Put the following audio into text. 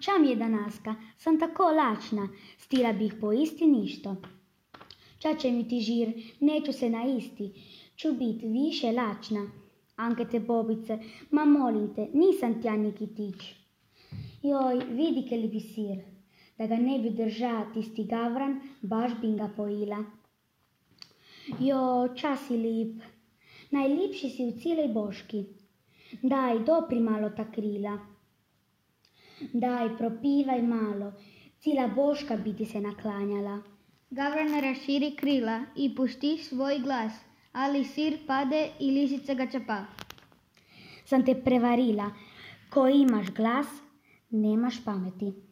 Čam je danaska, sam tako lačna, stila bih po isti ništo. Čače mi ti žir, neću se na isti, ću bit više lačna. Anke te bobice, ma molim te, nisam tja Nikitić. Joj, vidi ke li bi sir, da ga ne bi drža tisti gavran, baš bi ga pojila. Jo, čas si lip, najlipši si u cijelej boški. Daj, dopri malo ta krila. Daj, propivaj malo, cijela boška bi ti se naklanjala. Gavran raširi krila i pušti svoj glas, ali sir pade i lisica ga čapa. Sam te prevarila, ko imaš glas, nemaš pameti.